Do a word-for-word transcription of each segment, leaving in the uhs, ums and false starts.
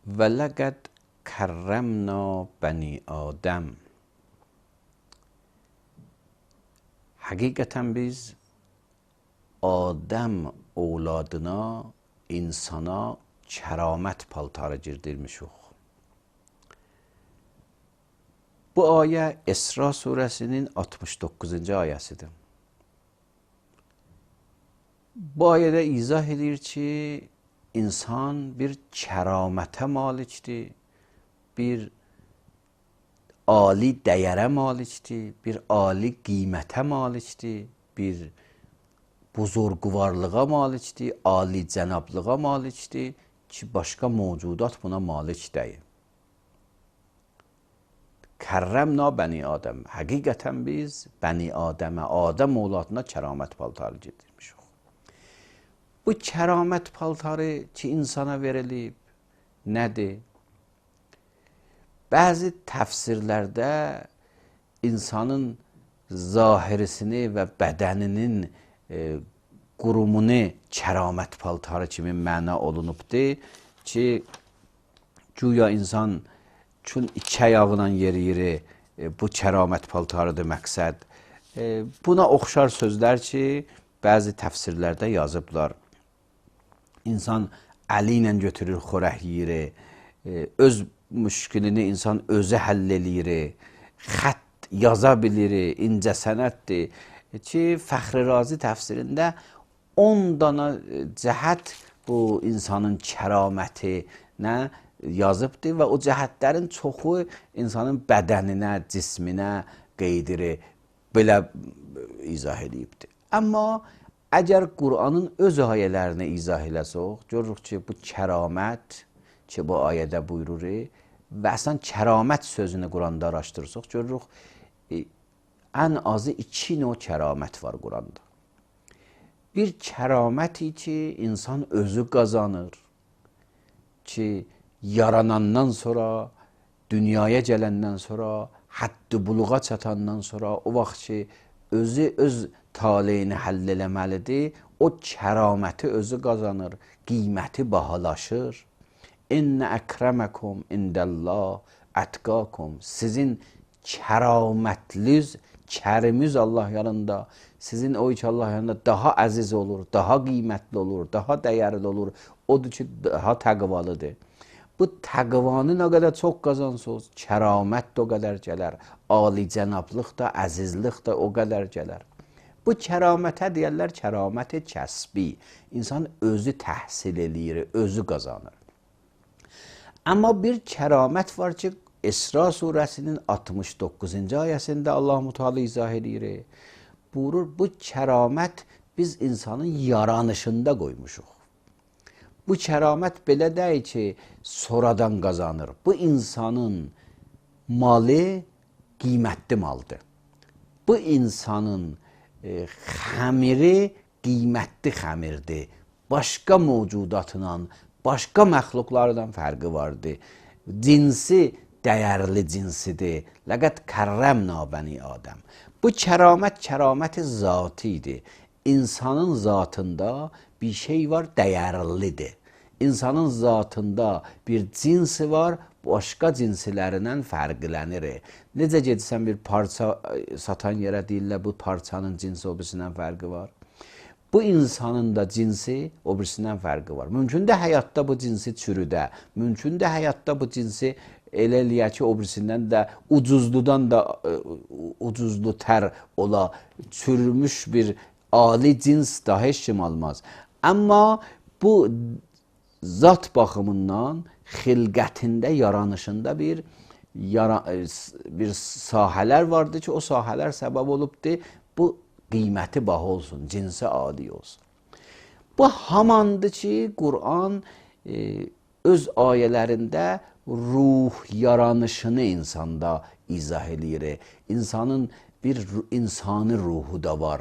Və ləqəd kərrəmna bəni Adəm. Həqiqətən biz Adəm ovladına, insana kəramət paltarı girdirmişik. Bu ayə İsra surəsinin altmış doqquzuncu ayəsidir. Bu ayədə izah edir ki, insan bir kəramətə malikdir, bir ali dəyərə malikdir, bir ali qiymətə malikdir, bir buzurguvarlığa malikdir, ali cənablığa malikdir ki, başqa mövcudat buna malik deyil. Kərrəmna bəni Adəm. Həqiqətən biz bəni Adəmə, Adəm ovladına kəramət paltarı gedirmişik. Bu kəramət paltarı ki, insana verilib, nədir? Bəzi təfsirlərdə insanın zahirisini və bədəninin e, qurumunu kəramət paltarı kimi məna olunubdur ki, güya insan çün iki ayağıyla yeriyiri, e, bu kəramət paltarıdır məqsəd. E, buna oxşar sözlər ki, bəzi təfsirlərdə yazıblar. İnsan əli ilə götürür, xörək yeyir, e, öz müşkilini insan özü həll eləyir, xətt yaza bilir, incə sənətdir ki, Fəxri Razi təfsirində on dana cəhət bu insanın kəramətinə yazıbdır və o cəhətlərin çoxu insanın bədəninə, cisminə qeydirir, belə izah edibdir. Amma əgər Qur'anın öz ayələrini izah eləsək, görürük ki, bu kəramət ki, bu ayədə buyurur və əslən kəramət sözünü Qur'anda araşdırsaq, görürük, e, ən azı iki növ kəramət var Qur'anda. Bir kəraməti ki, insan özü qazanır ki, yaranandan sonra, dünyaya gələndən sonra, həddi buluğa çatandan sonra, o vaxt ki, özü öz taleyini həll eləməlidir, o kəraməti özü qazanır, qiyməti bahalaşır. İnnə əkrəməkum indəllah ətqakum. Sizin kəramətliz, kərimiz Allah yanında, sizin o ki Allah yanında daha əziz olur, daha qiymətli olur, daha dəyərli olur, odur ki, daha təqvalıdır. Bu təqvanı nə qədər çox qazansınız, kəramət də o qədər gələr, ali cənablıq da, əzizlik də o qədər gələr. Bu kəramətə deyərlər, kəramət kəsbi. İnsan özü təhsil eləyir, özü qazanır. Amma bir kəramət var ki, İsra surəsinin altmış doqquzuncu ayəsində Allah-u Teala izah edir. Buyurur, bu kəramət biz insanın yaranışında qoymuşuq. Bu kəramət belə deyil ki, sonradan qazanır. Bu insanın malı qiymətli maldır. Bu insanın e, xəmiri qiymətli xəmirdir. Başqa mövcudatla, başqa məxluqlardan fərqi vardır. Cinsi dəyərli cinsidir. Ləqəd kərrəmna bəni Adəm. Bu kəramət, kəraməti zatidir. İnsanın zatında bir şey var, dəyərlidir. İnsanın zatında bir cinsi var, başqa cinsilərindən fərqlənir. Necə gedirsən bir parça satan yerə deyirlər, bu parçanın cinsi o birisindən fərqi var. Bu insanın da cinsi o birisindən fərqi var. Mümkün də həyatda bu cinsi çürüdə, mümkün də həyatda bu cinsi elə eləyək ki, o birisindən də ucuzludan da ucuzlu tər ola, çürümüş bir ali cins da heç kim almaz. Amma bu zat baxımından xilqətində, yaranışında bir, yara, bir sahələr vardır ki, o sahələr səbəb olubdur, bu qiyməti baha olsun, cinsi adi olsun. Bu hamandır ki, Qur'an e, öz ayələrində ruh yaranışını insanda izah edir. İnsanın bir insani ruhu da var.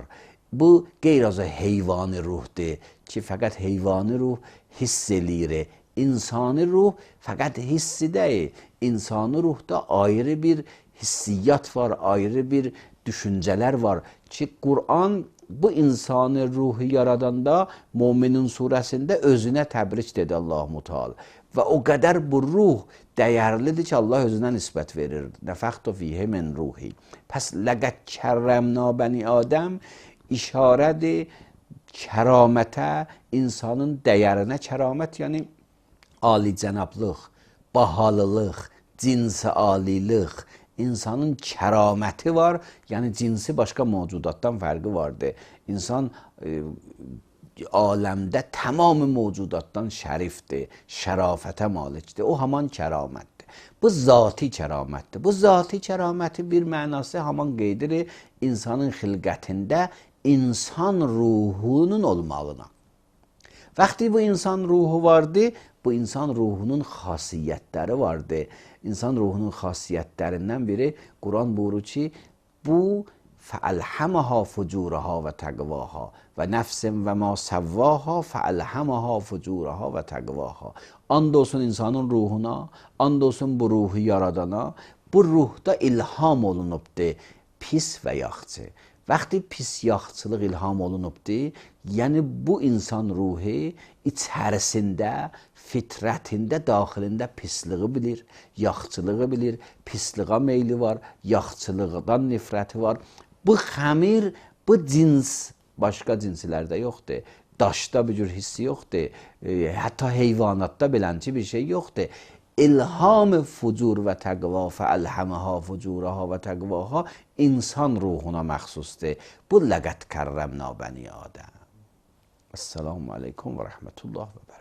Bu qeyri-azı heyvani ruhdur ki, fəqət heyvani ruh hiss eləyir. İnsani ruh fəqət hissi deyil. İnsani ruhda ayrı bir hissiyyat var, ayrı bir düşüncələr var ki, Qur'an bu insani ruhu yaradanda Müminin surəsində özünə təbrik dedi Allah-u Teala. və o qədər bu ruh dəyərlidir ki, Allah özünə nisbət verir. Nəfəxtu fiyhi min ruhi. Pəs ləqəd kərrəmna bəni Adəm işarədir kəramətə, insanın dəyərinə. Kəramət yəni alicənablıq, bahalılıq, cinsi alilıq, insanın kəraməti var, yəni cinsi başqa mövcudatdan fərqi vardır. İnsan e, aləmdə tamam mövcudatdan şərifdir, şərafətə malikdir. O haman kəramətdir. Bu zati kəramətdir. Bu zati kəraməti bir mənası haman qeydirir insanın xilqətində insan ruhunun olmağına. Vaxtı bu insan ruhu vardı, bu insan ruhunun xasiyyətləri vardı. İnsan ruhunun xasiyyətlərindən biri Quran buyurur ki, bu فَأَلْحَمَهَا فُجُورَهَا وَتَقْوَاهَا وَنَفْسٍ وَمَا سَوَّاهَا فَأَلْحَمَهَا فُجُورَهَا وَتَقْوَاهَا. And olsun insanın ruhuna, and olsun bu ruhu yaradana, bu ruhda ilham olunubdur pis və yaxçı. Vaxtı pis yaxçılıq ilham olunubdur, yəni bu insan ruhu içərisində, fitrətində, daxilində pisliği bilir, yaxçılığı bilir, pisliğə meyli var, yaxçılıqdan nifrəti var. Bu xəmir, bu cins başqa cinslərdə yoxdur. Daşda bir cür hissi yoxdur. E, hətta heyvanatda belənçi bir şey yoxdur. İlham fucur və təqva fəəlhəməha fucuraha və təqvaha insan ruhuna məxsusdur. Bu ləqət kərrəmna bəni Adəm. Esselamu aleykum və rəhmətullah və bərəkətuhu.